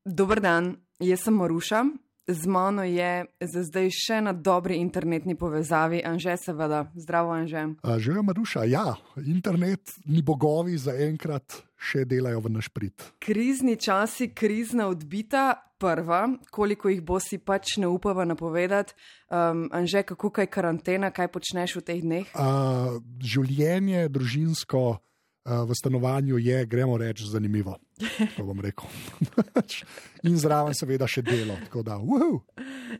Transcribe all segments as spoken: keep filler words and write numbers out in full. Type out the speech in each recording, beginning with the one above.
Dober dan, jaz sem Maruša. Z mano je za zdaj še na dobri internetni povezavi Anže, seveda. Zdravo, Anže. Živijo, Maruša. Ja, internetni bogovi zaenkrat še delajo v naš prid. Krizni časi, krizna odbita, prva, koliko jih bo si pač ne upava napovedati. Um, Anže, kako kaj karantena, kaj počneš v teh dneh? Uh, življenje družinsko uh, v stanovanju je, gremo reči, zanimivo. To bom rekel. In zraven seveda še delo. Tako da, uhu.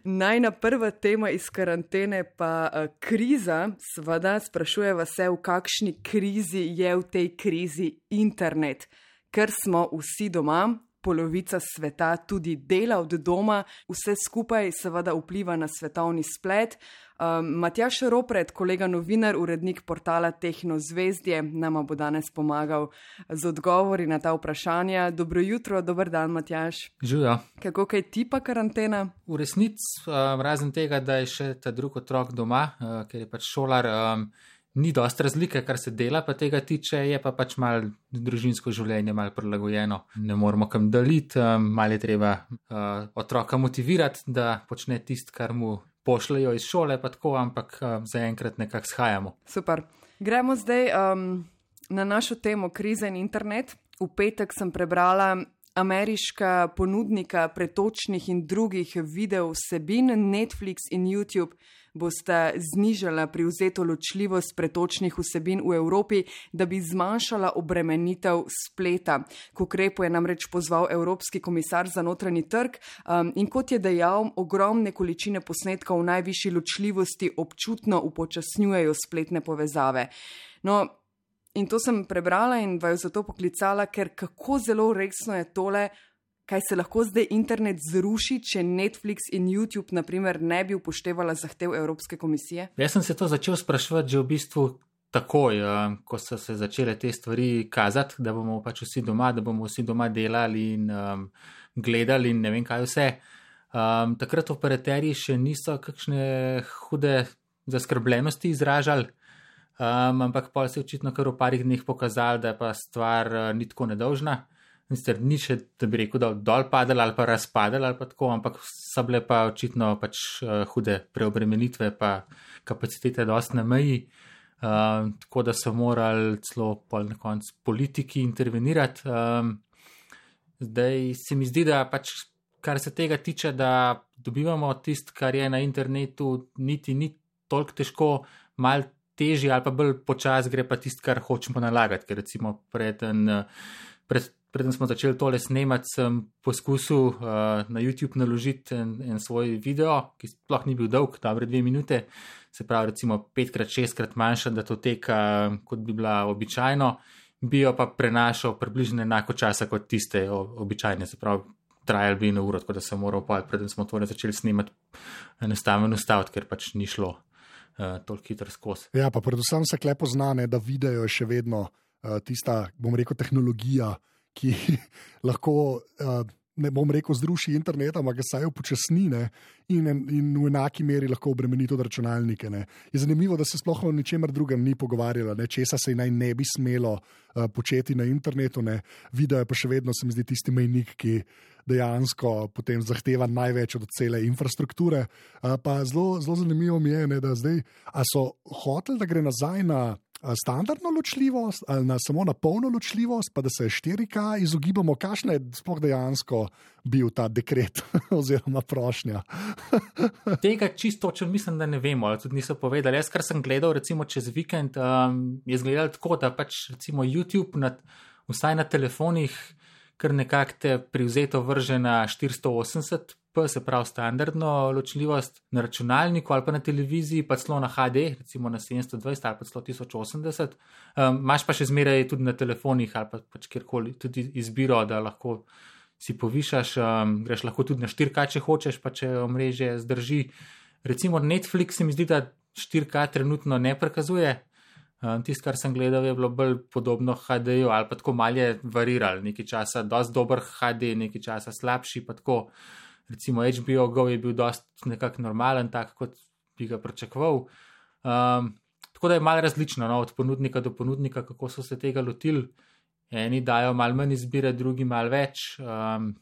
Najna prva tema iz karantene pa uh, kriza, seveda sprašujeva se, v kakšni krizi je v tej krizi internet. Ker smo vsi doma, polovica sveta tudi dela od doma, vse skupaj seveda vpliva na svetovni splet. Um, Matjaž Ropret, kolega novinar, urednik portala Tehnozvezdje, nama bo danes pomagal z odgovori na ta vprašanja. Dobro jutro, dober dan, Matjaž. Živijo. Kako kaj tipa karantena? V resnici, um, razen tega, da je še ta drug otrok doma, uh, ker je pač šolar, um, ni dosti razlike, kar se dela pa tega tiče, je pa pač malo družinsko življenje malo prilagojeno. Ne moramo kam daliti, um, malo je treba uh, otroka motivirati, da počne tisto, kar mu pošljajo iz šole, pa tako, ampak um, zaenkrat nekako shajamo. Super. Gremo zdaj um, na našo temo kriza in internet. V petek sem prebrala ameriška ponudnika pretočnih in drugih video vsebin, Netflix in YouTube, bosta znižala privzeto ločljivost pretočnih vsebin v Evropi, da bi zmanjšala obremenitev spleta. K ukrepu je namreč pozval Evropski komisar za notranji trg um, in kot je dejal, ogromne količine posnetkov v najvišji ločljivosti občutno upočasnjujejo spletne povezave. No, in to sem prebrala in vaju zato poklicala, ker kako zelo resno je tole, kaj se lahko zdaj internet zruši, če Netflix in YouTube, na primer, ne bi upoštevala zahtev Evropske komisije? Jaz sem se to začel spraševati že v bistvu takoj, ko so se začele te stvari kazati, da bomo pač vsi doma, da bomo vsi doma delali in um, gledali in ne vem kaj vse. Um, takrat operaterji še niso kakšne hude zaskrbljenosti izražali, um, ampak pol se je očitno kar v parih dneh pokazali, da je pa stvar uh, ni tako nedolžna. Mister, ni še, da bi rekel, da dol padali ali pa razpadali ali pa tako, ampak so bile pa očitno pač uh, hude preobremenitve pa kapacitete dosti na meji, uh, tako da so morali celo pol na koncu politiki intervenirati. Um, zdaj se mi zdi, da pač kar se tega tiče, da dobivamo tisto, kar je na internetu, niti ni toliko težko, malo težje ali pa bolj počas gre pa tisto, kar hočemo nalagati, ker recimo preden pred Preden smo začeli tole snemati, sem poskusil uh, na YouTube naložiti en, en svoj video, ki sploh ni bil dolg, dobre dve minute, se pravi recimo petkrat, šestkrat manjša datoteka, kot bi bila običajno, bi jo pa prenašal približno enako časa kot tiste običajne, se pravi trajal bi na uro, tako da sem moral pa, preden smo tole začeli snemati, enostavno ustaviti, ker pač ni šlo uh, toliko hitro skozi. Ja, pa predvsem se kle poznane, da video je še vedno uh, tista, bom rekel, tehnologija, ki lahko, ne bom rekel, zruši internet, ampak ga saj upočasni in, in v enaki meri lahko obremeni tudi računalnike. Ne. Je zanimivo, da se sploh o ničemer drugem ni pogovarjala, ne. Česa se naj ne bi smelo uh, početi na internetu. Ne. Video je pa še vedno, se mi zdi, tisti mejnik, ki dejansko potem zahteva največ od cele infrastrukture. Uh, pa zelo, zelo zanimivo mi je, ne, da zdaj, a so hoteli, da gre nazaj na standardno ločljivost ali na, samo na polno ločljivost, pa da se štiri K izogibamo, kakšna je sploh dejansko bil ta dekret oziroma prošnja. Tega čisto točno mislim, da ne vemo, ali tudi niso povedali. Jaz, kar sem gledal recimo čez vikend, um, je izgledalo tako, da pač recimo YouTube na, vsaj na telefonih kar nekako te privzeto vrže na štiristo osemdeset p, se pravi standardno ločljivost, na računalniku ali pa na televiziji, pa celo na H D, recimo na sedemsto dvajset ali pa celo tisoč osemdeset. Um, imaš pa še zmeraj tudi na telefonih ali pa pač kjerkoli tudi izbiro, da lahko si povišaš, um, greš lahko tudi na štiri K, če hočeš, pa če omrežje zdrži. Recimo Netflix se mi zdi, da štiri K trenutno ne prikazuje. Um, Tisto, kar sem gledal, je bilo bolj podobno H D-ju ali pa tako malo je variral, nekaj časa dosti dober H D, nekaj časa slabši, pa tako. Recimo H B O Go je bil dosti nekako normalen, tak kot bi ga pričakoval. Um, tako da je malo različno, no, od ponudnika do ponudnika, kako so se tega lotili. Eni dajo malo manj izbire, drugi malo več. Um,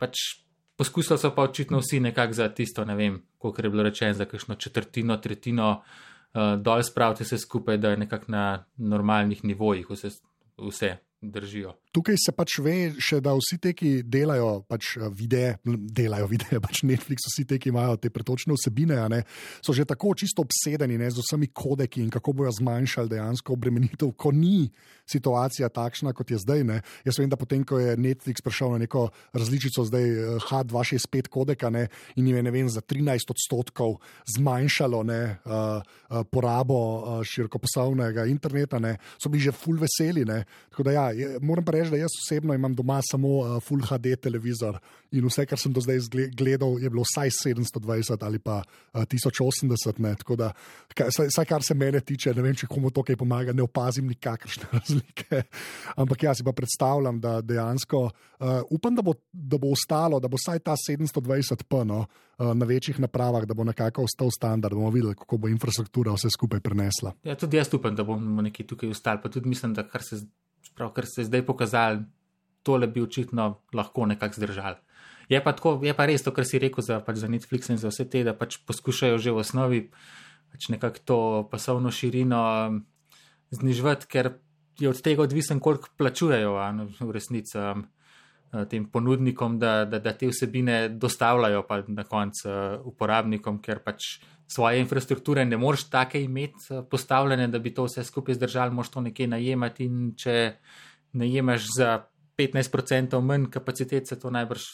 pač poskusili so pa očitno vsi nekako za tisto, ne vem, koliko je bilo rečeno, za kakšno četrtino, tretjino uh, dol spraviti se skupaj, da je nekako na normalnih nivojih vse, vse držijo. Tukaj se pač ve še, da vsi te, ki delajo pač videe, delajo videe, pač Netflix, vsi te, ki imajo te pretočne vsebine, ne, so že tako čisto obsedeni, ne, z vsemi kodeki in kako bojo zmanjšali dejansko obremenitev, ko ni situacija takšna, kot je zdaj. Ne. Jaz vem, da potem, ko je Netflix prišel na neko različico zdaj H dva šest pet kodeka, ne, in jim je, ne vem, za trinajst odstotkov zmanjšalo, ne, uh, uh, porabo uh, širokopasovnega interneta, ne, so bili že ful veseli, ne. Tako da ja, je, moram pa reči, da jaz osebno imam doma samo uh, Full H D televizor in vse, kar sem do zdaj gledal, je bilo vsaj sedemsto dvajset ali pa uh, tisoč osemdeset, ne, tako da, vsaj kar se mene tiče, ne vem, če komu to kaj pomaga, ne opazim nikakršne razlike, ampak jaz si pa predstavljam, da dejansko uh, upam, da bo, da bo ostalo, da bo vsaj ta sedemsto dvajset p, no, uh, na večjih napravah, da bo nekako ostal standard, bomo videli, kako bo infrastruktura vse skupaj prenesla. Ja, tudi jaz upam, da bomo nekaj tukaj ostali, pa tudi mislim, da kar se Prav, kar se je zdaj pokazali, tole bi očitno lahko nekako zdržali. Je pa, tako, je pa res to, kar si rekel za, pač za Netflix in za vse te, da pač poskušajo že v osnovi pač nekako to pasovno širino znižvati, ker je od tega odvisen, koliko plačujejo v resnici um, tem ponudnikom, da, da, da te vsebine dostavljajo pa na koncu uh, uporabnikom, ker pač svoje infrastrukture ne moreš take imeti postavljene, da bi to vse skupaj zdržali, moraš to nekje najemati in če najemaš za petnajst procentov manj kapacitet, se to najbrž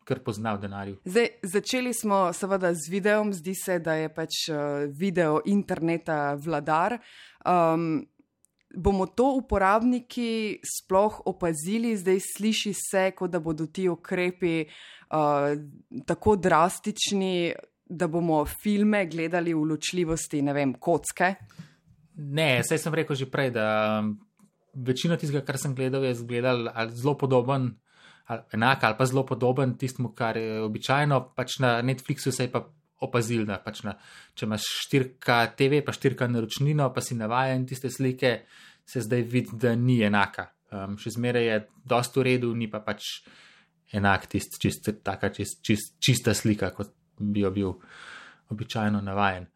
kar pozna v denarju. Zdaj, začeli smo seveda z videom, zdi se, da je pač video interneta vladar. Um, bomo to uporabniki sploh opazili? Zdaj sliši se, kot da bodo ti ukrepi uh, tako drastični, da bomo filme gledali v ločljivosti, ne vem, kocke? Ne, saj sem rekel že prej, da večino tistega, kar sem gledal, je gledal zelo podoben, ali enak ali pa zelo podoben tistemu, kar je običajno, pač na Netflixu se je pa opazil, da pač na, če imaš štiri K T V, pa štiri K naročnino, pa si navajen tiste slike, se zdaj vidi, da ni enaka. Um, še zmeraj je dosti v redu, ni pa pač enak tist, čist, taka čist, čist, čista slika, kot bi jo bil običajno navajen.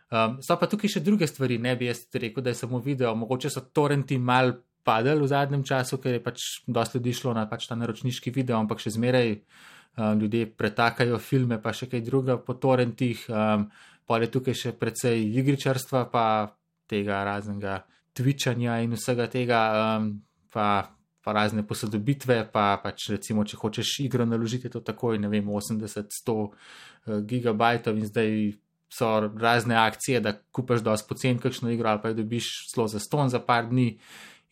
Um, so pa tukaj še druge stvari, ne bi jaz rekel, da je samo video, mogoče so torrenti mal padali v zadnjem času, ker je pač dosti ljudi šlo na pač ta naročniški video, ampak še zmeraj um, ljudje pretakajo filme, pa še kaj druga po torrentih, um, pa je tukaj še precej igričarstva, pa tega raznega twitchanja in vsega tega, um, pa pa razne posodobitve, pa pač recimo, če hočeš igro naložiti, to takoj, ne vem, osemdeset sto gigabajtov in zdaj so razne akcije, da kupaš dosti pocen kakšno igro ali pa jo dobiš celo za ston za par dni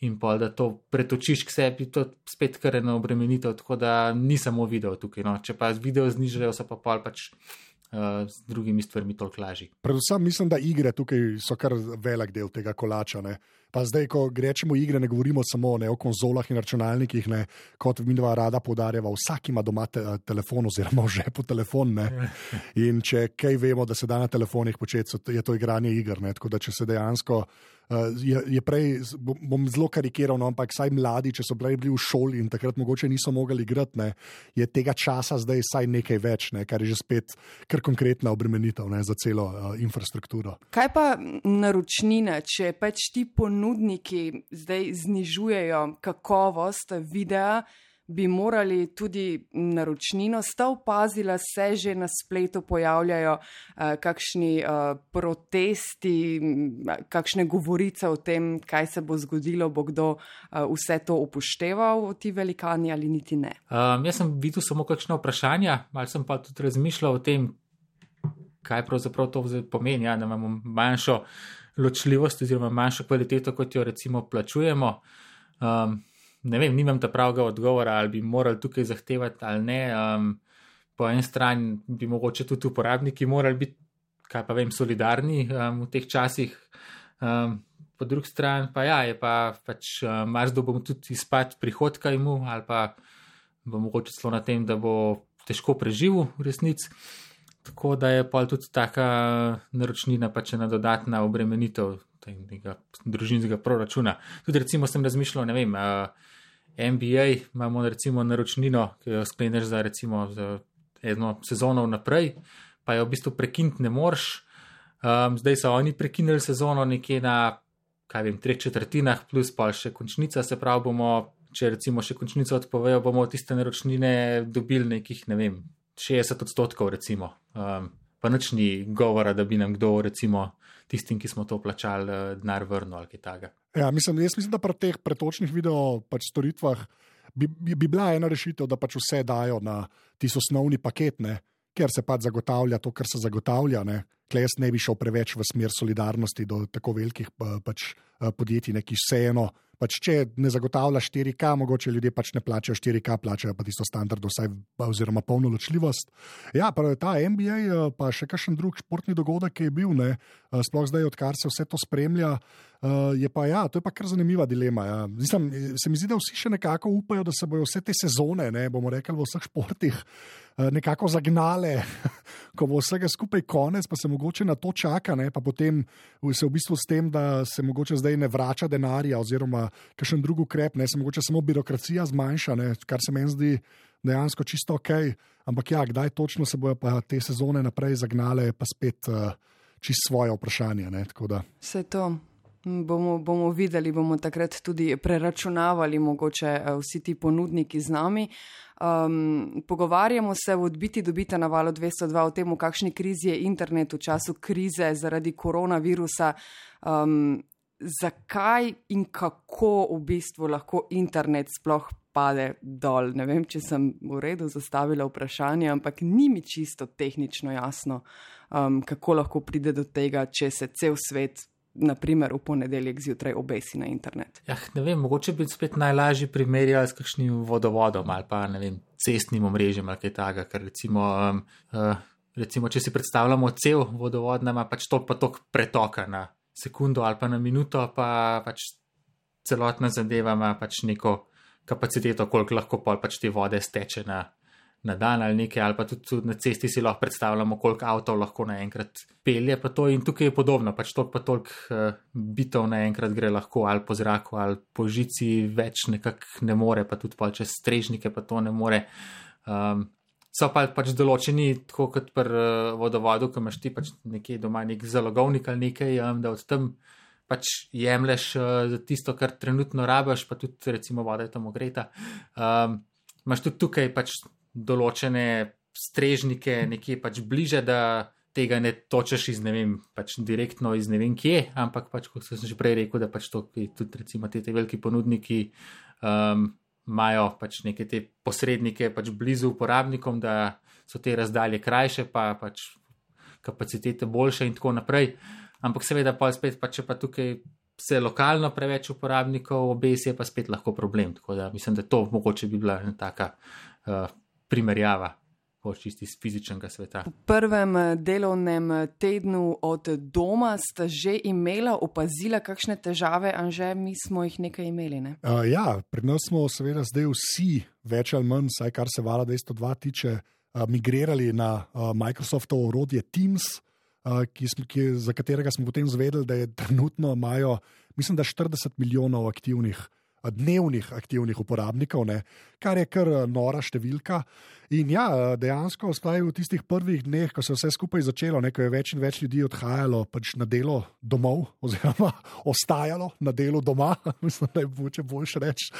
in pa da to pretočiš k sebi, to spet kar ena obremenitev, tako da ni samo video tukaj, no. Če pa video znižajo, so pa pol pač Uh, z drugimi stvarmi toliko lažji. Predvsem mislim, da igre tukaj so kar velik del tega kolača. Ne? Pa zdaj, ko rečemo igre, ne govorimo samo ne, o konzolah in računalnikih, ne, kot midva rada poudarjava, vsak ima doma te, telefon oziroma v žepu telefon. Ne? In če kaj vemo, da se da na telefonih početi, je to igranje iger. Ne? Tako da če se dejansko Uh, je, je prej, bom zelo karikiral, no, ampak saj mladi, če so bili v šoli in takrat mogoče niso mogli igrati, ne, je tega časa zdaj saj nekaj več, ne, kar je že spet kar konkretna obremenitev, ne, za celo uh, infrastrukturo. Kaj pa naročnina, če pač ti ponudniki zdaj znižujejo kakovost videa, bi morali tudi naročnino? Sta opazila, se že na spletu pojavljajo uh, kakšni uh, protesti, kakšne govorice o tem, kaj se bo zgodilo, bo kdo uh, vse to upošteval, ti velikani ali niti ne? Um, jaz sem videl samo kakšne vprašanja, malo sem pa tudi razmišljal o tem, kaj pravzaprav to pomeni, ja, da imamo manjšo ločljivost oziroma manjšo kvaliteto, kot jo recimo plačujemo. Um, Ne vem, nimam ta pravega odgovora, ali bi morali tukaj zahtevati ali ne. Um, po eni strani bi mogoče tudi uporabniki morali biti, kaj pa vem, solidarni um, v teh časih. Um, po drugi strani pa ja, je pa pač um, marsdo bomo tudi izpad prihodka imu ali pa bo mogoče celo na tem, da bo težko preživel v resnici. Tako da je pa tudi taka naročnina pač ena dodatna obremenitev tega družinskega proračuna. Tudi recimo sem razmišljal, ne vem, uh, N B A imamo recimo naročnino, ki jo skleneš za recimo za eno sezono naprej, pa jo v bistvu prekiniti ne moreš. Um, zdaj so oni prekinili sezono nekje na, kaj vem, treh četrtinah, plus pa še končnica, se pravi bomo, če recimo še končnico odpovejo, bomo tiste naročnine dobili nekih, ne vem, šestdeset odstotkov recimo. Um, pa nič ni govora, da bi nam kdo recimo tistim, ki smo to plačali, denar vrnil ali kaj takega. Ja, mislim, jaz mislim, da pri teh pretočnih video pač storitvah bi, bi, bi bila ena rešitev, da pač vse dajo na tisti osnovni paket, ne, ker se pač zagotavlja to, kar se zagotavlja. Ne. Tle jaz ne bi šel preveč v smer solidarnosti do tako velikih pač, podjetij, ne, ki vseeno, pač, če ne zagotavlja štiri K, mogoče ljudje pač ne plačajo štiri K, plačajo pa tisto standardno vsaj oziroma polno ločljivost. Ja, pa ta N B A, pa še kakšen drug športni dogodek, ki je bil, ne, sploh zdaj, odkar se vse to spremlja, je pa ja, to je pa kar zanimiva dilema. Ja. Mislim, se mi zdi, da vsi še nekako upajo, da se bojo vse te sezone, ne, bomo rekli v vseh športih, nekako zagnale, ko bo vsega skupaj konec, pa se mogoče na to čaka, ne, pa potem se v bistvu s tem, da se mogoče zdaj ne vrača denarja oziroma kakšen drug ukrep, ne, se mogoče samo birokracija zmanjša, ne, kar se meni zdi dejansko čisto ok, ampak ja, kdaj točno se bojo pa te sezone naprej zagnale, pa spet uh, čisto svoje vprašanje, ne, tako da. Vse to. Bomo, bomo videli, bomo takrat tudi preračunavali mogoče vsi ti ponudniki z nami. Um, pogovarjamo se v Odbiti dobite na Valu dvesto dva o tem, v kakšni krizi je internet v času krize zaradi koronavirusa. Um, zakaj in kako v bistvu lahko internet sploh pade dol? Ne vem, če sem v redu zastavila vprašanje, ampak ni mi čisto tehnično jasno, um, kako lahko pride do tega, če se cel svet naprimer v ponedeljek zjutraj obesi na internet. Ja, ne vem, mogoče bi spet najlažje primerjali s kakšnim vodovodom ali pa, ne vem, cestnim omrežjem ali kaj takega, ker recimo, um, uh, recimo, če si predstavljamo cel vodovod, ima pač tok pa tok pretoka na sekundo ali pa na minuto, pa pač celotna zadeva ima pač neko kapaciteto, koliko lahko pol pač te vode steče na na dan ali nekaj, ali pa tudi na cesti si lahko predstavljamo, koliko avtov lahko naenkrat pelje, pa to in tukaj je podobno, pač toliko pa toliko uh, bitov naenkrat gre lahko ali po zraku ali po žici, več nekako ne more, pa tudi pa čez strežnike pa to ne more. Um, so pa pač določeni, tako kot pri uh, vodovodu, ko imaš ti pač nekje doma nek zalogovnik ali nekaj, um, da od tam pač jemleš uh, za tisto, kar trenutno rabiš, pa tudi recimo voda je tam ogreta. Um, imaš tudi tukaj pač določene strežnike nekje pač bliže, da tega ne točeš iz, ne vem, pač direktno iz ne vem kje, ampak pač, kot sem že prej rekel, da pač to, tudi recimo te, te veliki ponudniki um, imajo pač neke te posrednike pač blizu uporabnikom, da so te razdalje krajše, pa pač kapacitete boljše in tako naprej. Ampak seveda pa spet, pa če pa tukaj se lokalno preveč uporabnikov obesi, je pa spet lahko problem. Tako da mislim, da to mogoče bi bila ena taka uh, primerjava po čisti iz fizičnega sveta. V prvem delovnem tednu od doma sta že imela, opazila kakšne težave, Anže, mi smo jih nekaj imeli, ne? Uh, ja, pred nas smo seveda zdaj vsi več ali manj, saj kar se Vala dvesto dva tiče, uh, migrirali na uh, Microsoftovo orodje Teams, uh, ki, ki, za katerega smo potem zvedeli, da je trenutno imajo, mislim, da štirideset milijonov aktivnih dnevnih aktivnih uporabnikov, ne, kar je kar nora številka. In ja, dejansko sploh v tistih prvih dneh, ko se vse skupaj začelo, ne, ko je več in več ljudi odhajalo pač na delo domov, oziroma ostajalo na delu doma, mislim, da je boče boljše reči.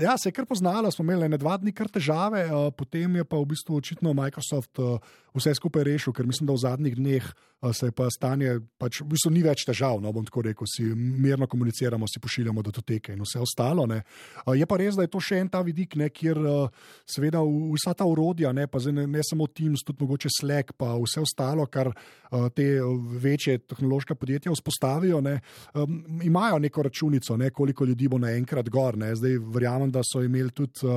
Ja, se je kar poznalo, smo imeli ne dva dni kar težave, potem je pa v bistvu očitno Microsoft vse skupaj rešil, ker mislim, da v zadnjih dneh se je pa stanje, pač v bistvu ni več težav, no, bom tako rekel, si mirno komuniciramo, si pošiljamo datoteke in vse ostalo, ne. Je pa res, da je to še en ta vidik, ne, kjer seveda vsa ta orodja, ne, pa ne, ne samo Teams, tudi mogoče Slack, pa vse ostalo, kar te večje tehnološka podjetja vzpostavijo, ne, imajo neko računico, ne, koliko ljudi bo naenkrat gor, ne. Zdaj verjamem, da so imeli tudi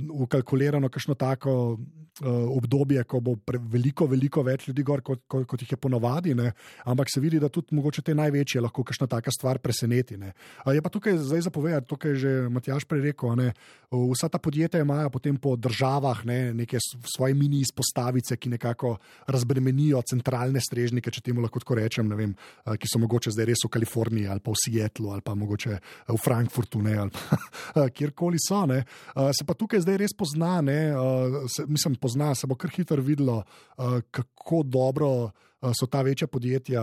ukalkulirano kakšno tako uh, obdobje, ko bo pre, veliko, veliko več ljudi gor, kot, kot, kot jih je ponavadi, ne? Ampak se vidi, da tudi mogoče te največje lahko kakšna taka stvar preseneti. Ne? Uh, je pa tukaj zdaj zapovedati, tukaj je že Matjaž prej rekel, ne? Vsa ta podjetja imajo potem po državah, ne, neke svoje mini izpostavice, ki nekako razbremenijo centralne strežnike, če temu lahko tako rečem, ne vem, uh, ki so mogoče zdaj res v Kaliforniji ali pa v Seattlu ali pa mogoče v Frankfurtu, ne, ali pa kjerkoli so. Ne. Se pa tukaj zdaj res pozna, ne, se, mislim, pozna, se bo kar hitro videlo, kako dobro so ta večja podjetja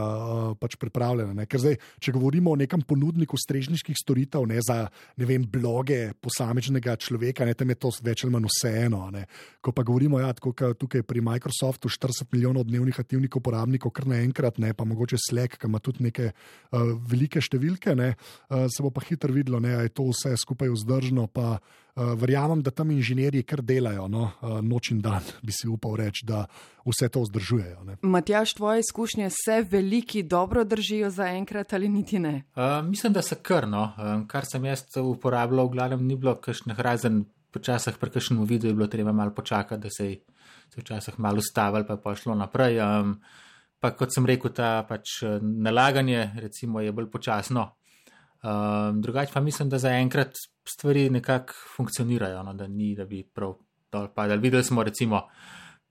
pač pripravljena. Ne. Ker zdaj, če govorimo o nekem ponudniku strežniških storitev, ne, za, ne vem, bloge posamečnega človeka, ne, tam je to več ali manj vseeno. Ne. Ko pa govorimo, ja, tako tukaj pri Microsoftu štirideset milijonov dnevnih aktivnih uporabnikov, kar naenkrat, ne, pa mogoče Slack, ki ima tudi neke uh, velike številke, ne, uh, se bo pa hitro videlo, ne, a je to vse skupaj vzdržno, pa Uh, verjamem, da tam inženirji kar delajo, no? uh, noč in dan, bi si upal reči, da vse to vzdržujejo. Ne? Matjaž, tvoje izkušnje se veliki dobro držijo za enkrat ali niti ne? Uh, mislim, da se kar, no. Um, kar sem jaz uporabljal, v glavnem ni bilo kakšnih razen, počasih pri kakšnem videu je bilo treba malo počakati, da se je včasih malo ustavili, pa je pošlo naprej. Um, pa kot sem rekel, ta pač nalaganje recimo je bolj počasno. Um, drugače pa mislim, da zaenkrat stvari nekako funkcionirajo, no, da ni, da bi prav dol padali. Videli smo recimo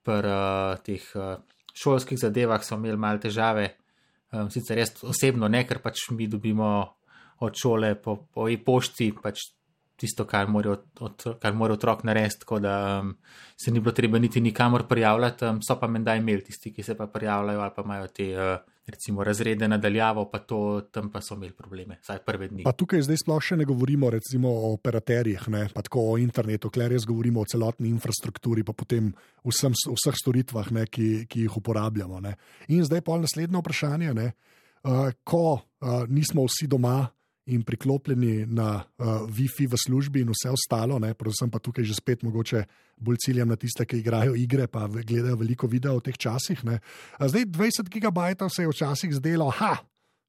pri uh, teh uh, šolskih zadevah so imeli malo težave, um, sicer jaz osebno ne, ker pač mi dobimo od šole po, po e-pošti pač tisto, kar mora, od, kar mora otrok narediti, tako da um, se ni bilo treba niti nikamor prijavljati, um, so pa menda imeli tisti, ki se pa prijavljajo ali pa imajo te uh, recimo razrede nadaljavo, pa to, tam pa so imeli probleme, vsaj prve dni. Pa tukaj zdaj sploh še ne govorimo recimo o operaterjih, ne, pa tako o internetu, kler res govorimo o celotni infrastrukturi, pa potem vsem, vseh storitvah, ne, ki, ki jih uporabljamo. Ne. In zdaj pa naslednje vprašanje, ne, uh, ko uh, nismo vsi doma in priklopljeni na uh, Wi-Fi v službi in vse ostalo, ne, predvsem pa tukaj že spet mogoče bolj ciljam na tiste, ki igrajo igre, pa gledajo veliko videa v teh časih. Ne. Zdaj dvajset gigabajtov se je včasih zdelo, ha,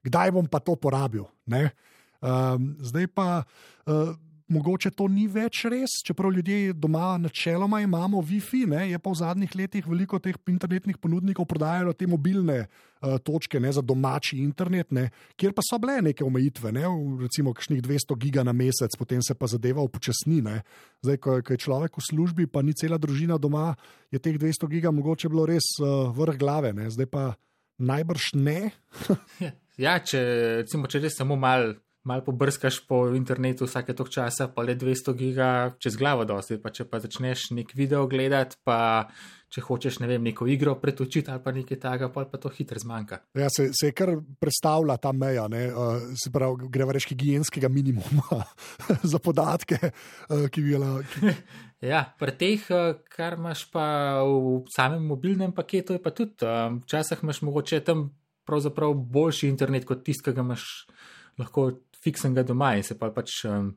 kdaj bom pa to porabil? Ne. Um, zdaj pa uh, mogoče to ni več res, čeprav ljudje doma načeloma imamo Wi-Fi, ne, je pa v zadnjih letih veliko teh internetnih ponudnikov prodajalo te mobilne uh, točke, ne, za domači internet, ne, kjer pa so bile neke omejitve, ne, recimo kakšnih dvesto giga na mesec, potem se pa zadeva upočasni. Ne. Zdaj, ko, ko je človek v službi, pa ni cela družina doma, je teh dvesto giga mogoče bilo res uh, vrh glave, ne. Zdaj pa najbrž ne. Ja, če, recimo, če res samo malo mal pobrskaš po internetu vsake tok časa, pa le dvesto giga čez glavo dosti, pa če pa začneš nek video gledati, pa če hočeš, ne vem, neko igro pretočiti ali pa nekaj takega, pa to hitro zmanjka. Ja, se, se je kar predstavlja ta meja, ne, uh, se pravi, greva reči higienskega minimuma za podatke, uh, ki bi bila... Ki... Ja, pri teh, kar imaš pa v samem mobilnem paketu, je pa tudi, um, včasih imaš mogoče tam pravzaprav boljši internet kot tist, ki ga imaš lahko fiksenega doma in se pa pač um,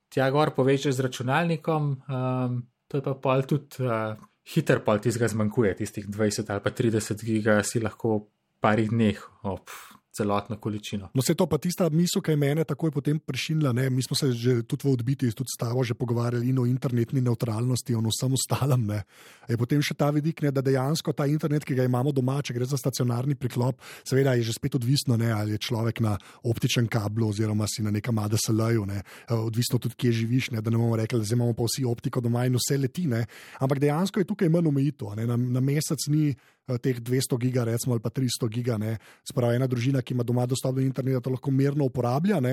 tja gor povečaš z računalnikom, um, to je pa pol tudi uh, hiter pol tistega zmanjkuje, tistih dvajset ali pa trideset giga si lahko v parih dneh op celotno količino. No, se to pa tista misel, ki je mene takoj potem prešinila, ne, mi smo se že tudi v odbiti, tudi s tabo že pogovarjali in o internetni neutralnosti, o vsem ostalem, ne. Je potem še ta vidik, ne, da dejansko ta internet, ki ga imamo doma, če gre za stacionarni priklop, seveda je že spet odvisno, ne, ali je človek na optičnem kablu oziroma si na nekem A D S L-ju, ne, odvisno tudi, kje živiš, ne, da ne bomo rekli, da zdaj imamo pa vsi optiko doma in vse leti, ne, ampak dejansko je tukaj manj omejitev, ne, na, na mesec ni teh dvesto giga, recimo, ali pa tristo giga, ne, spravi ena družina, ki ima doma dostop do interneta, to lahko mirno uporablja, ne,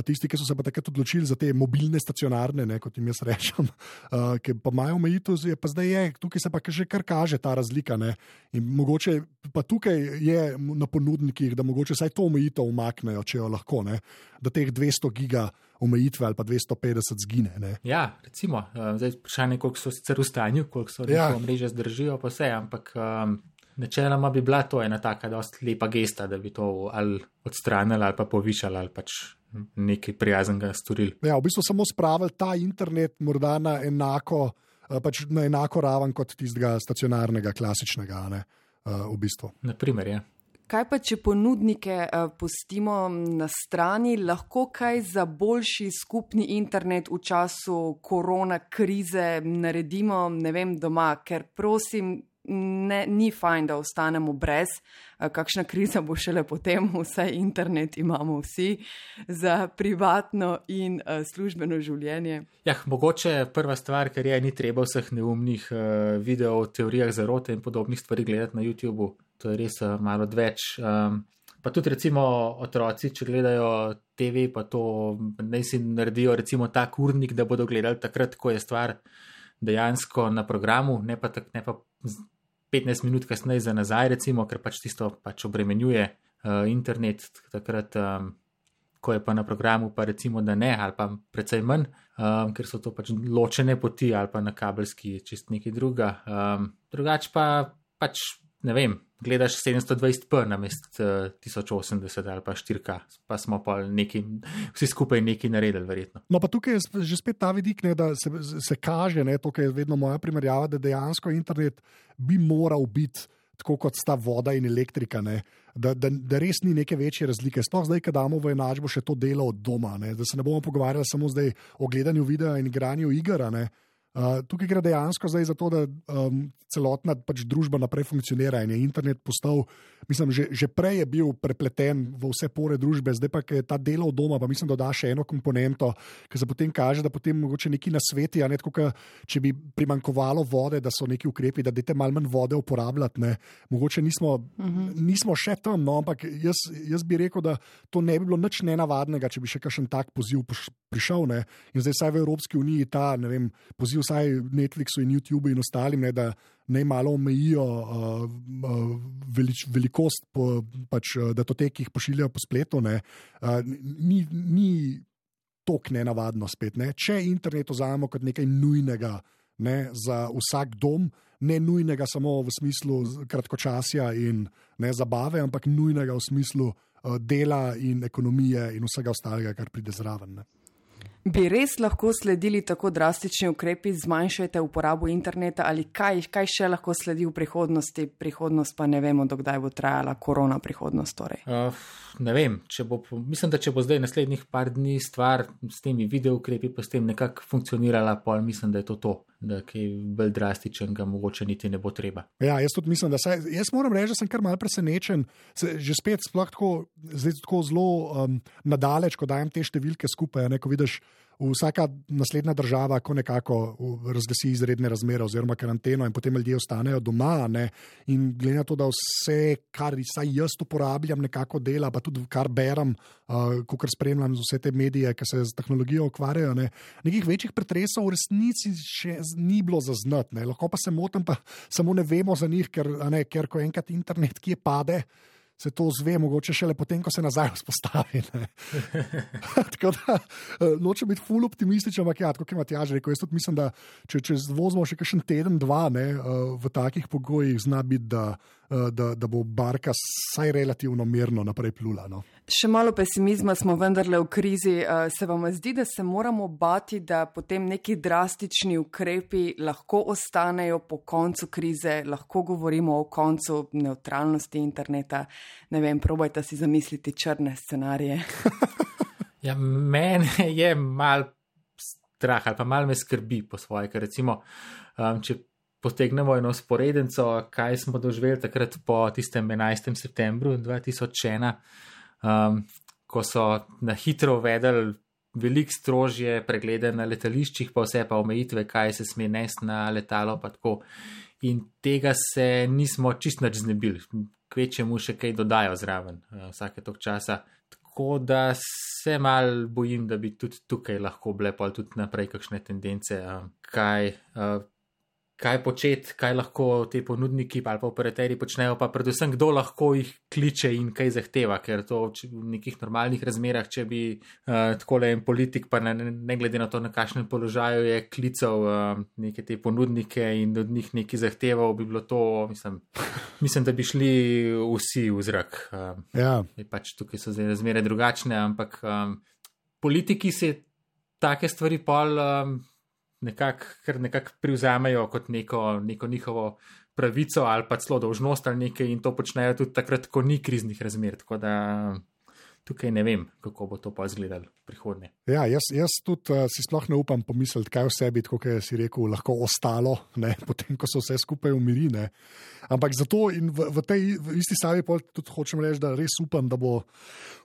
tisti, ki so se pa takrat odločili za te mobilne stacionarne, ne, kot jim jaz rečem, uh, ki pa imajo omejitev, pa zdaj je, tukaj se pa že kar kaže ta razlika, ne, in mogoče pa tukaj je na ponudnikih, da mogoče saj to omejitev umaknejo, če jo lahko, ne, da teh dvesto giga omejitve ali pa dvesto petdeset zgine, ne. Ja, recimo, zdaj vprašanje, koliko so sicer v stanju, koliko so ja. Mreže zdržijo, pa vse, ampak um... načeloma bi bila to ena taka dosti lepa gesta, da bi to ali odstranili ali pa povišali ali pač nekaj prijaznega storili. Ja, v bistvu samo spravili ta internet morda na enako, pač na enako raven kot tistega stacionarnega, klasičnega, ne, v bistvu. Naprimer, ja. Kaj pa, če ponudnike uh, pustimo na strani, lahko kaj za boljši skupni internet v času korona krize naredimo, ne vem, doma, ker prosim, ne, ni fajn, da ostanemo brez, uh, kakšna kriza bo šele potem, vsaj internet imamo vsi za privatno in uh, službeno življenje. Ja, mogoče prva stvar, ker je, ni treba vseh neumnih uh, videov o teorijah zarote in podobnih stvari gledati na YouTubu. To je res uh, malo odveč. Um, pa tudi recimo otroci, če gledajo T V, pa to naj si naredijo recimo tak urnik, da bodo gledali takrat, ko je stvar dejansko na programu, ne pa, tak, ne pa petnajst minut kasneje za nazaj, recimo, ker pač tisto pač obremenjuje uh, internet, takrat, um, ko je pa na programu, pa recimo, da ne, ali pa precej manj, um, ker so to pač ločene poti, ali pa na kabelski čist nekaj druga. Um, drugač pa pač, ne vem, gledaš sedemsto dvajset p namest uh, tisoč osemdeset ali pa štiri K, pa smo pa neki, vsi skupaj nekaj naredili, verjetno. No, pa tukaj je že spet ta vidik, ne, da se, se kaže, ne, to je vedno moja primerjava, da dejansko internet bi moral biti tako kot sta voda in elektrika, ne, da, da, da res ni neke večje razlike. Sploh zdaj, ko damo v enačbo še to delo od doma, ne, da se ne bomo pogovarjali samo zdaj o gledanju videa in igranju iger, ne. Uh, tukaj gre dejansko zdaj za to, da um, celotna pač družba naprej funkcionira in je internet postal, mislim, že, že prej je bil prepleten v vse pore družbe, zdaj pa, ker je ta delo od doma, pa mislim, da da še eno komponento, ki se potem kaže, da potem mogoče neki nasveti, a ne tako, ka, če bi primankovalo vode, da so neki ukrepi, da dajte malo manj vode uporabljati, ne. Mogoče nismo, uh-huh. nismo še tam, no, ampak jaz, jaz bi rekel, da to ne bi bilo nič nenavadnega, če bi še kakšen tak poziv prišel, ne. In zdaj saj v Evropski uniji ta, ne vem, poziv vsaj Netflixu in YouTubeu in ostalim, ne, da naj malo omejijo uh, uh, velič, velikost, po, pač, datotek, ki jih pošiljajo po spletu, ne, uh, ni, ni tok nenavadno spet. Ne. Če internet vzamemo kot nekaj nujnega, ne, za vsak dom, ne nujnega samo v smislu kratkočasja in ne zabave, ampak nujnega v smislu uh, dela in ekonomije in vsega ostalega, kar pride zraven. Ne. Bi res lahko sledili tako drastični ukrepi, zmanjšajte uporabo interneta ali kaj, kaj še lahko sledi v prihodnosti? Prihodnost pa ne vemo, dokdaj bo trajala korona prihodnost. Torej. Uh, ne vem, če bo, mislim, da če bo zdaj naslednjih par dni stvar s temi video ukrepi pa s tem nekako funkcionirala, pol mislim, da je to to, da kaj bolj drastičnega mogoče niti ne bo treba. Ja, jaz tudi mislim, da saj, jaz moram reči, da sem kar mal presenečen, se, že spet sploh tako, zdaj tako zelo um, nadaleč, ko dajem te številke skupaj, ne, ko vidiš, vsaka naslednja država, ko nekako razglasi izredne razmere oziroma karanteno in potem ljudje ostanejo doma, ne, in glede na to, da vse, kar saj jaz uporabljam, nekako dela, pa tudi kar berem, uh, kakor spremljam vse te medije, ki se z tehnologijo ukvarjajo, ne, nekih večjih pretresov v resnici še ni bilo zaznati, ne, lahko pa se motim, pa samo ne vemo za njih, ker, ne, ker ko enkrat internet kje pade, se to zve, mogoče šele potem, ko se nazaj vzpostavi. Tako da, nočem biti ful optimističen, ampak ja, tako kot je Matjaž rekel, jaz tudi mislim, da če, če vozimo še kakšen teden, dva, ne, v takih pogojih zna biti, da, da, da bo barka saj relativno mirno naprej plula. No. Še malo pesimizma smo vendarle v krizi. Se vam zdi, da se moramo bati, da potem neki drastični ukrepi lahko ostanejo po koncu krize, lahko govorimo o koncu nevtralnosti interneta? Ne vem, probajte si zamisliti črne scenarije. Ja, mene je mal strah ali pa mal me skrbi po svoje, ker recimo, um, če potegnemo eno sporedenco, kaj smo doživeli takrat po tistem enajstem septembru dva tisoč ena, um, ko so na hitro uvedli veliko strožje preglede na letališčih, pa vse pa omejitve, kaj se sme nesti na letalo, pa tako. In tega se nismo čist nič znebili, kvečemu še kaj dodajo zraven vsake tok časa. Tako da se mal bojim, da bi tudi tukaj lahko bile pol tudi naprej kakšne tendence, kaj, kaj početi, kaj lahko te ponudniki ali pa operaterji počnejo, pa predvsem kdo lahko jih kliče in kaj zahteva, ker to v nekih normalnih razmerah, če bi uh, takole en politik, pa ne, ne glede na to, na kakšnem položaju je klical uh, neke te ponudnike in od njih nekaj zahteval, bi bilo to, mislim, mislim da bi šli vsi v zrak. Uh, ja. Pač tukaj so zdaj razmere drugačne, ampak um, politiki se take stvari pol um, nekako nekak privzamejo kot neko, neko njihovo pravico ali pa celo dolžnost ali nekaj in to počnejo tudi takrat, ko ni kriznih razmer. Tako da tukaj ne vem, kako bo to pa izgledalo v prihodnje. Ja, jaz, jaz tudi uh, si sploh ne upam pomisliti, kaj vse bi, kot si rekel, lahko ostalo, ne, potem, ko so vse skupaj umiri. Ne. Ampak zato in v, v tej v isti savi tudi hočem reči, da res upam, da bo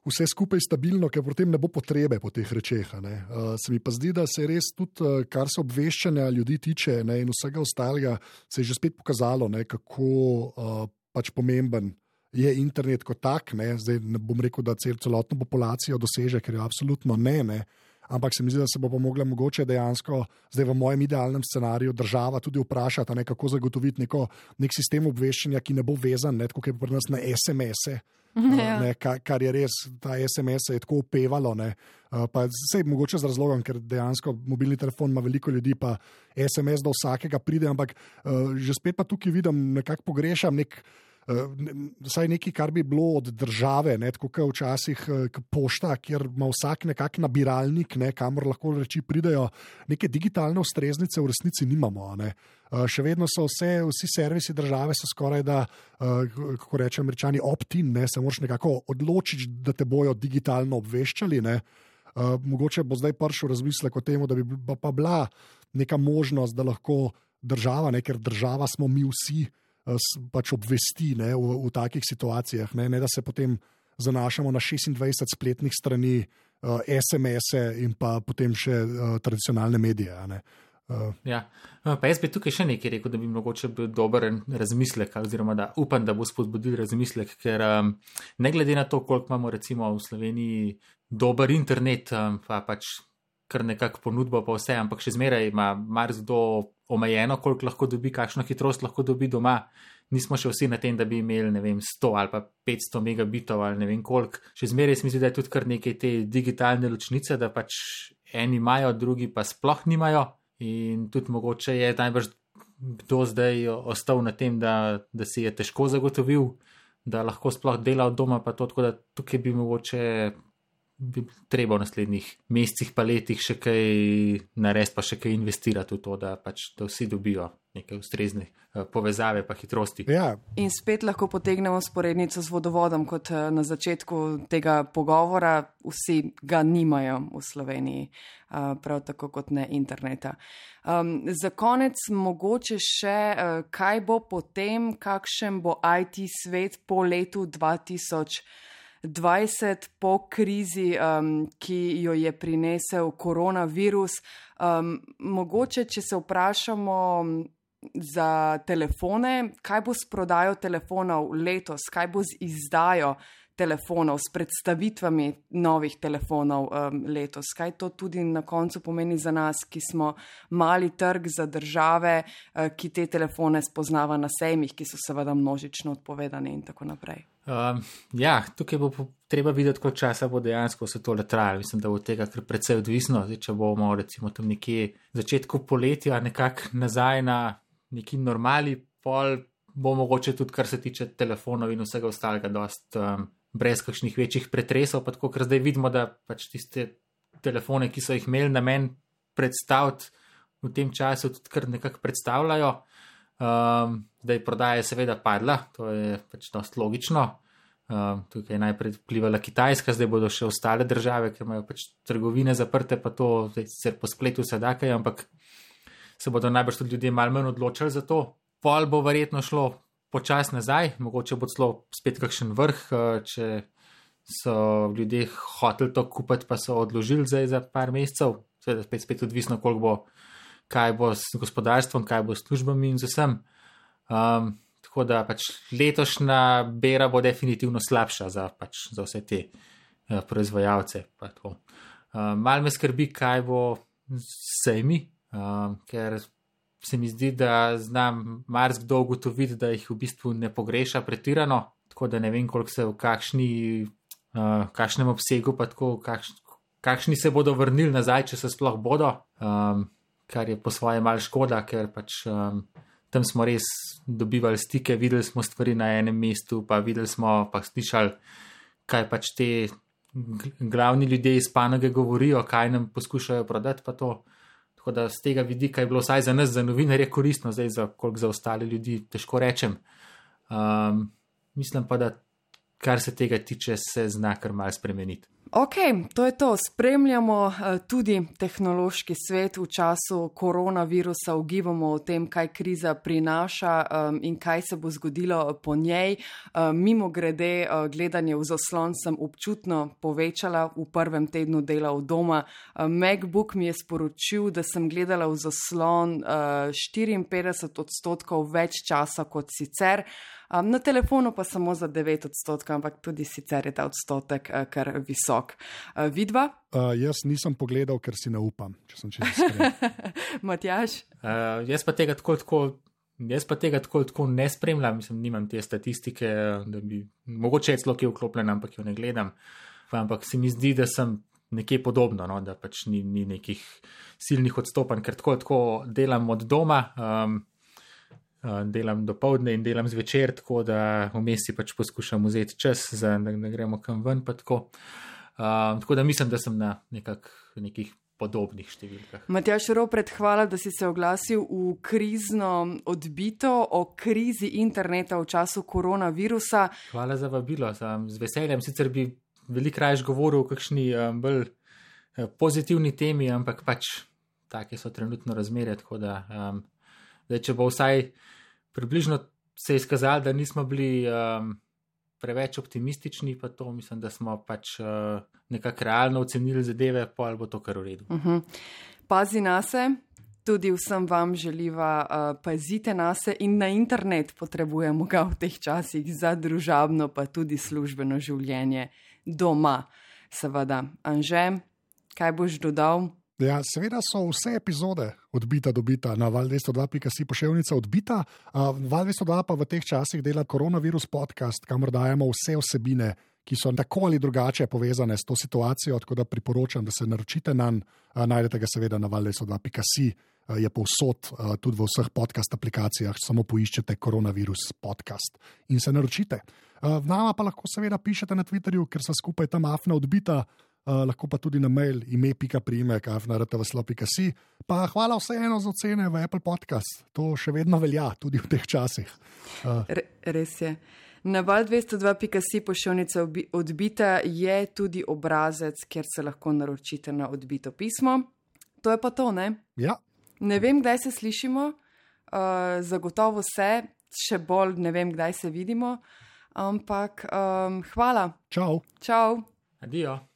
vse skupaj stabilno, ker potem ne bo potrebe po teh rečeh. Uh, se mi pa zdi, da se res tudi, uh, kar se obveščanja ljudi tiče, ne, in vsega ostalega, se je že spet pokazalo, ne, kako uh, pač pomemben je internet kot tak, ne, zdaj ne bom rekel, da cel, celotno populacijo doseže, ker je absolutno ne, ne, ampak se mi zdi, da se bo pa mogla mogoče dejansko, zdaj v mojem idealnem scenariju, država tudi vprašati, ne, kako zagotoviti neko, nek sistem obveščanja, ki ne bo vezan, ne, tako kot je pri nas na es em es-e, ja. ne, kar, kar je res, ta es em es je tako upevalo, ne, pa sej mogoče z razlogom, ker dejansko mobilni telefon ima veliko ljudi, pa es em es do vsakega pride, ampak uh, že spet pa tukaj vidim, nekako pogrešam nek vsaj uh, nekaj, kar bi bilo od države, ne, tako kot včasih uh, pošta, kjer ima vsak nekak nabiralnik, ne, kamor lahko reči pridejo, neke digitalne ustreznice v resnici nimamo. Ne. Uh, še vedno so vse, vsi servisi države so skoraj da, uh, kako rečem američani, opt-in, ne, se moraš nekako odločiti, da te bojo digitalno obveščali. Ne. Uh, mogoče bo zdaj prišel razmislek o tem, da bi pa bila neka možnost, da lahko država, ne, ker država smo mi vsi, pač obvesti, ne, v, v takih situacijah, ne, ne da se potem zanašamo na šestindvajset spletnih strani, uh, es em es-e in pa potem še uh, tradicionalne medije. Ne. Uh. Ja, pa jaz bi tukaj še nekaj rekel, da bi mogoče bil dober razmislek, oziroma da upam, da bo spodbudil razmislek, ker um, ne glede na to, koliko imamo recimo v Sloveniji dober internet, um, pa pač kar nekako ponudbo pa vse, ampak še zmeraj ima marsikdo omejeno, koliko lahko dobi, kakšno hitrost lahko dobi doma. Nismo še vsi na tem, da bi imeli, ne vem, sto ali pa petsto megabitov ali ne vem koliko. Še zmeraj se mi zdi, da je tudi kar nekaj te digitalne ločnice, da pač eni imajo, drugi pa sploh nimajo. In tudi mogoče je najbrž kdo zdaj ostal na tem, da, da si je težko zagotovil, da lahko sploh dela od doma, pa to, tako da tukaj bi mogoče bi treba v naslednjih mesecih pa letih še kaj narediti, pa še kaj investirati v to, da pač da vsi dobijo neke ustrezne povezave pa hitrosti. Ja. In spet lahko potegnemo sporednico z vodovodom, kot na začetku tega pogovora, vsi ga nimajo v Sloveniji, prav tako kot ne interneta. Um, za konec mogoče še, kaj bo potem, kakšen bo I T svet po letu dva tisoč dvajset, po krizi, um, ki jo je prinesel koronavirus. Um, mogoče, če se vprašamo za telefone, kaj bo s prodajo telefonov letos, kaj bo z izdajo telefonov, s predstavitvami novih telefonov um, letos, kaj to tudi na koncu pomeni za nas, ki smo mali trg za države, uh, ki te telefone spoznava na sejmih, ki so seveda množično odpovedani in tako naprej. Um, ja, tukaj bo treba videti, koliko časa bo dejansko vse tole trajalo. Mislim, da bo tega kar precej odvisno. Zdaj, če bomo recimo tam nekje začetku poletja nekako nazaj na neki normali, pol bo mogoče tudi, kar se tiče telefonov in vsega ostalega, dost um, brez kakšnih večjih pretresov, pa tako, ker zdaj vidimo, da pač tiste telefone, ki so jih imeli namen predstaviti v tem času, tudi kar nekako predstavljajo. Um, zdaj prodaja je seveda padla, to je pač dost logično. Um, tukaj je najprej vplivala Kitajska, zdaj bodo še ostale države, ker imajo pač trgovine zaprte, pa to zdaj sicer po spletu se da kaj, ampak se bodo najbrž tudi ljudje malo manj odločili za to. Pol bo verjetno šlo počas nazaj, mogoče bo celo spet kakšen vrh, če so ljudje hoteli to kupiti, pa so odložili zdaj za par mesecev, seveda spet, spet odvisno, koliko bo, kaj bo s gospodarstvom, kaj bo s službami in z vsem. Um, tako da pač letošnja bera bo definitivno slabša za, pač, za vse te uh, proizvajalce. Pa to. Uh, mal me skrbi, kaj bo s sejmi, uh, ker se mi zdi, da znam marsikdo ugotoviti, da jih v bistvu ne pogreša pretirano, tako da ne vem, koliko se v kakšni, uh, kakšnem obsegu, pa tako, kakš, kakšni se bodo vrnili nazaj, če se sploh bodo, um, kar je po svoje mal škoda, ker pač um, tam smo res dobivali stike, videli smo stvari na enem mestu, pa videli smo, pa slišali, kaj pač te glavni ljudje iz panoge govorijo, kaj nam poskušajo prodati, pa to. Tako da z tega vidika je bilo vsaj za nas, za novinarje, koristno, zdaj za koliko za ostale ljudi, težko rečem. Um, mislim pa, da kar se tega tiče, se zna kar mal spremeniti. Ok, to je to. Spremljamo uh, tudi tehnološki svet v času koronavirusa, ugibamo o tem, kaj kriza prinaša um, in kaj se bo zgodilo po njej. Um, mimo grede, uh, gledanje v zaslon sem občutno povečala v prvem tednu dela od doma. Uh, MacBook mi je sporočil, da sem gledala v zaslon uh, štiriinpetdeset odstotkov več časa kot sicer. Um, na telefonu pa samo za devet odstotkov, ampak tudi sicer je ta odstotek uh, kar visok. Uh, vidva? Uh, jaz nisem pogledal, ker si ne upam, če sem čisto iskren. Matjaž? Uh, jaz pa tega tako, tako, jaz pa tega tako, tako ne spremljam, mislim, nimam te statistike, da bi, mogoče je celo kje vklopljen, ampak jo ne gledam. Ampak se mi zdi, da sem nekje podobno, no, da pač ni, ni nekih silnih odstopanj, ker tako, tako delam od doma. Um, delam do povdne in delam zvečer, tako da vmes si pač poskušam vzeti čas, za, da ne gremo kam ven, pa tako. Uh, tako da mislim, da sem na nekak, nekih podobnih številkah. Matjaž Ropret, hvala, da si se oglasil v krizno odbito o krizi interneta v času koronavirusa. Hvala za vabilo, sem z veseljem, sicer bi veliko raje govoril o kakšni um, bolj uh, pozitivni temi, ampak pač take so trenutno razmere, tako da um, zdaj, če bo vsaj približno se je izkazalo, da nismo bili um, preveč optimistični, pa to mislim, da smo pač uh, nekako realno ocenili zadeve, pa ali bo to kar v redu. Uh-huh. Pazi nase, tudi vsem vam želiva, uh, pazite nase in na internet potrebujemo ga v teh časih za družabno, pa tudi službeno življenje doma. Seveda, Anže, kaj boš dodal? Ja, seveda so vse epizode odbita dobita na val dvesto dva pika si poševnica odbita. Uh, val dvesto dva pa v teh časih dela koronavirus podcast, kamor dajemo vse vsebine, ki so tako ali drugače povezane s to situacijo, tako da priporočam, da se naročite nanj. Uh, najdete ga seveda na val dvesto dva pika si, uh, je povsod, uh, tudi v vseh podcast aplikacijah, samo poiščete koronavirus podcast in se naročite. Uh, nama pa lahko seveda pišete na Twitterju, ker so skupaj tam afna odbita. Uh, lahko pa tudi na mail ime pika priimek afna r t v s l o pika si. Pa hvala vseeno za ocene v Apple Podcast. To še vedno velja, tudi v teh časih. Uh. Re, res je. Na val dvesto dva pika si poševnica odbita je tudi obrazec, kjer se lahko naročite na odbito pismo. To je pa to, ne? Ja. Ne vem, kdaj se slišimo, uh, zagotovo se, še bolj ne vem, kdaj se vidimo, ampak um, hvala. Čau. Čau. Adijo.